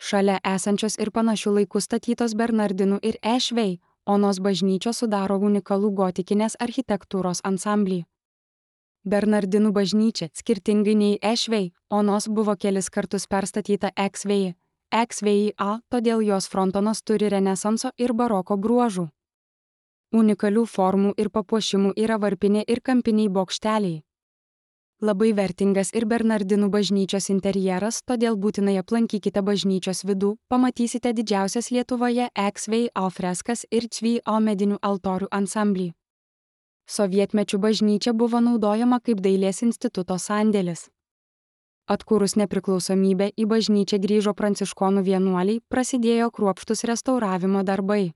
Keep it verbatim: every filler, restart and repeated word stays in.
Šalia esančios ir panašių laikų statytos Bernardinų ir Ešvei Onos bažnyčios sudaro unikalų gotikinės architektūros ansamblį. Bernardinų bažnyčia, skirtingai nei Ešvei Onos, buvo kelis kartus perstatyta Eksvei. Eksvei A, todėl jos frontonas turi renesanso ir baroko bruožų. Unikalių formų ir papuošimų yra varpinė ir kampiniai bokšteliai. Labai vertingas ir Bernardinų bažnyčios interjeras, todėl būtinai aplankykite bažnyčios vidų, pamatysite didžiausias Lietuvoje Eksvei A freskas ir Cvy A medinių altorių ansamblį. Sovietmečiu bažnyčia buvo naudojama kaip dailės instituto sandėlis. Atkūrus nepriklausomybę į bažnyčią grįžo pranciškonų vienuoliai, prasidėjo kruopštūs restauravimo darbai.